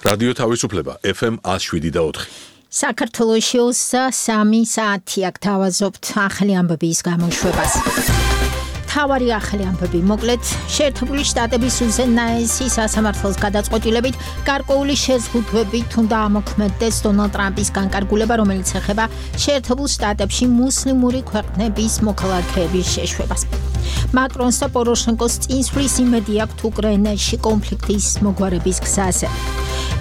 რადიო თავისუფლება FM 107.4. საქართველოში 3 საათი აქ თავაზობთ ახალი ამბების გამოშვებას. თავარი ახალი ამბები მოკლედ შეერთებული შტატების უზენაესი სასამართლოს გადაწყვეტილებით გარკვეული შეზღუდვებით უნდა ამოქმედდეს დონალდ ტრამპის განკარგულება, რომელიც ეხება შეერთებულ შტატებში მუსლიმური ქვეყნების მოქალაქეების შეშვებას. მაკრონს და პოროშენკოს წინსვლის იმედი აქვთ უკრაინაში კონფლიქტის მოგვარების გზაზე.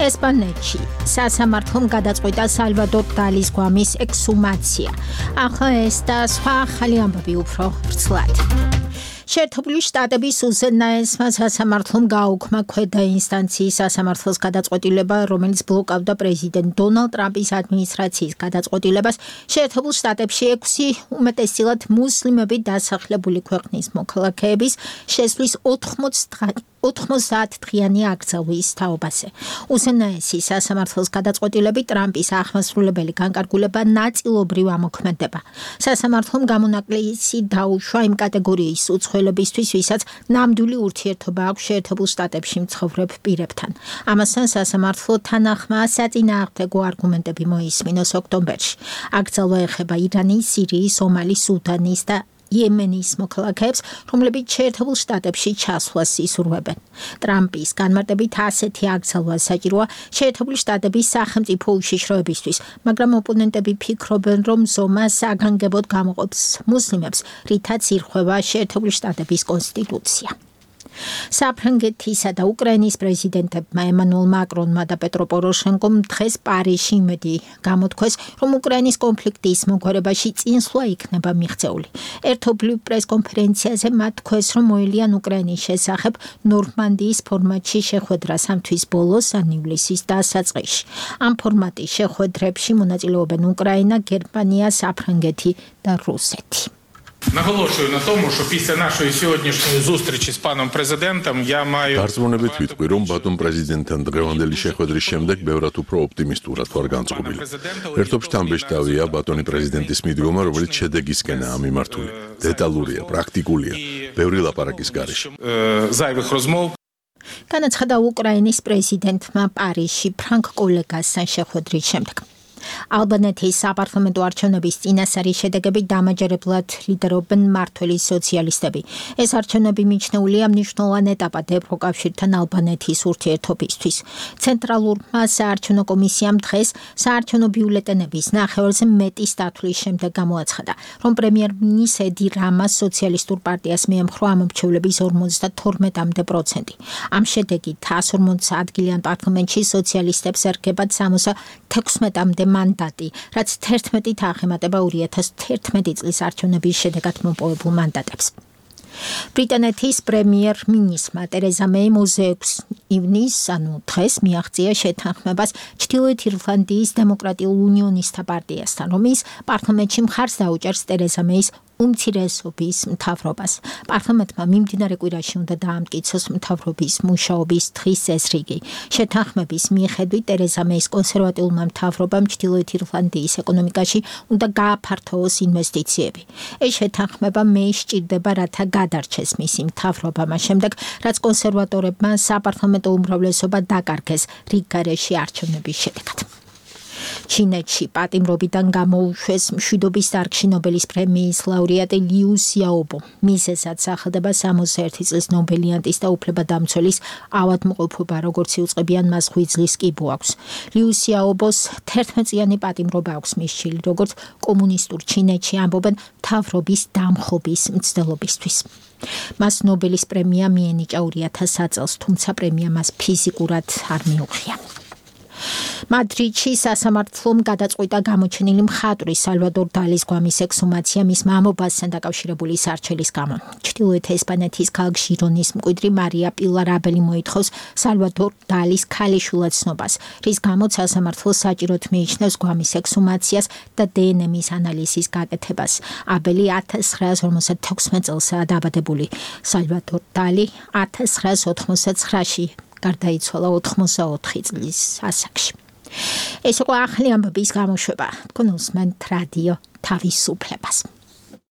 ესპანეთში სასამართლომ გადაწყვიტა სალვადორ დალის გვამის ექსჰუმაცია. ახლა ეს და სხვა ახალი ამბები უფრო ვრცლად. შეერთებული შტატების უზენაესმა სასამართლომ გააუქმა ქვედა ინსტანციის სასამართლოს გადაწყვეტილება, რომელიც ბლოკავდა პრეზიდენტ დონალდ ტრამპის ადმინისტრაციის გადაწყვეტილებას შეერთებულ შტატებში 6 უმეტესწილად მუსლიმები დასახლებული ქვეყნის მოქალაქეების შესვლის 90-დღიანი აკრძალვის თაობაზე. უზენაესი სასამართლოს გადაწყვეტილებით ტრამპის აღმასრულებელი განკარგულება ნაწილობრივ ამოქმედება. სასამართლომ გამონაკლისი დაუშვა იმ კატეგორიის უცხოელებისთვის, ვისაც ნამდვილი ურთიერთობა აქვს შეერთებულ შტატებში მცხოვრებ პირებთან. ამასთან სასამართლო თანახმა საწინააღმდეგო არგუმენტები მოისმინოს ოქტომბერში. აკრძალვა ეხება ირანის, სირიის, სომალის, სუდანის და იემენის მოქალაქეებს, რომლებიც შეერთებულ შტატებში ჩასვლას ისურვებენ. ტრამპის განმარტებით ასეთი აკრძალვა საჭიროა შეერთებული შტატების სახელმწიფო უშიშროებისთვის, მაგრამ ოპონენტები ფიქრობენ, რომ ზომა საგანგებოდ გამოყოფს მუსლიმებს, რითაც ირღვევა შეერთებული შტატების კონსტიტუცია. საფრანგეთისა და უკრაინის პრეზიდენტებმა ემანუელ მაკრონმა და პეტრო პოროშენკომ დღეს პარიზში იმედი გამოთქვეს, რომ უკრაინის კონფლიქტის მოგვარებაში წინსვლა იქნება მიღწეული. ერთობლივ პრესკონფერენციაზე მათ თქვეს, რომ მოელიან უკრაინის შესახებ ნორმანდიის ფორმატში შეხვედრა 3 თვის ბოლოს ან ივლისის დასაწყისში. ამ ფორმატის შეხვედრებში მონაწილეობენ უკრაინა, გერმანია, საფრანგეთი და რუსეთი. Наголошую на тому, що після нашої сьогоднішньої зустрічі з паном президентом я маю Გარწმუნებით ვიტყვი, რომ ბატონ პრეზიდენტთან დღევანდელი შეხვედრის შემდეგ ბევრად უფრო ოპტიმისტურად ვარ განწყობილი. ერთობ შთამბეჭდავია ბატონი პრეზიდენტის მიდგომა, რომელიც შედეგისკენაა მიმართული. დეტალურია, პრაქტიკულია, ბევრი ლაპარაკის გარეშე. Зайвих розмов. განაცხადა უკრაინის პრეზიდენტმა პარიზში ფრანგ კოლეგასთან შეხვედრის შემდეგ. ალბანეთის საპარლამენტო არჩევნების წინასწარი შედეგები დამაჯერებლად ლიდერობენ მმართველი სოციალისტები. ეს არჩევნები მიჩნეულია მნიშვნელოვან ეტაპად ევროკავშირთან ალბანეთის ურთიერთობისთვის. ცენტრალურმა საარჩევნო კომისიამ დღეს საარჩევნო ბიულეტენების ნახევარზე მეტი სტათვლის შემდეგ გამოაცხადა, რომ პრემიერ-მინისტრ ედი რამას სოციალისტურ პარტიას მიემხრო ამომრჩევლების 52%. ამ შედეგით 140 ადგილიან პარლამენტში სოციალისტებს ერგებათ 76-მდე მანდატი, რაც 11-ით აღემატება 2011 წლის არჩევნების შედეგად მოპოვებულ მანდატებს. ბრიტანეთის პრემიერ-მინისტრმა ტერეზა მეიმ 26 ივნისს, ანუ დღეს მიაღწია შეთანხმებას ჩრდილოეთ ირლანდიის დემოკრატიულ უნიონისტთა პარტიასთან, რომელიც პარლამენტში მხარს დაუჭერს ტერეზა მეის უმცირესობის მთავრობას. პარლამენტმა მიმდინარე კვირაში უნდა დაამტკიცოს მთავრობის მუშაობის დღის წესრიგი. შეთანხმების მიხედვით ტერეზა მეის კონსერვატიულმა მთავრობამ ჩრდილოეთ ირლანდიის ეკონომიკაში უნდა გააფართოოს ინვესტიციები. ეს შეთანხმება მეის სჭირდება, რათა გადარჩეს მისი მთავრობა მას შემდეგ, რაც კონსერვატორებმა საპარლამენტო უმრავლესობა დაკარგეს რიგ გარეშე არჩევნების შედეგად. ჩინეთში პატიმრობიდან გამოუშვეს მშვიდობის დარგში ნობელის პრემიის ლაურეატი ლიუ სიაობო. მიზეზად სახელდება 61 წლის ნობელიანტის და უფლებადამცველის ავადმყოფობა, როგორც იუწყებიან მას ღვიძლის კიბო აქვს. ლიუ სიაობოს 11-წლიანი პატიმრობა აქვს მისჩილი, როგორც კომუნისტურ ჩინეთში ამბობენ მთავრობის დამხობის მცდელობისთვის. მას ნობელის პრემია მიენიჭა 2000 წელს, თუმცა პრემია მას ფიზიკურად არ მიუღია. მადრიდში სასამართლომ გადაწყვიტა გამოჩენილი მხატვრის სალვადორ დალის გვამის ექსჰუმაცია მის მამობასთან დაკავშირებული სარჩელის გამო. ჩრდილოეთ ესპანეთის ქალაქ ჟირონის მკვიდრი მარია პილარ აბელი მოითხოვს სალვადორ დალის ქალიშვილად ცნობას, რის გამოც სასამართლო საჭიროდ მიიჩნევს გვამის ექსჰუმაციას და დნმ-ის ანალიზის გაკეთებას. აბელი 1956 წელსაა დაბადებული. სალვადორ დალი 1989-ში გარდაიცვალა 84 წლის ასაკში. ეს იყო ახალი ამბების გამოშვება. თქვენ უსმენთ რადიო თავისუფლებას.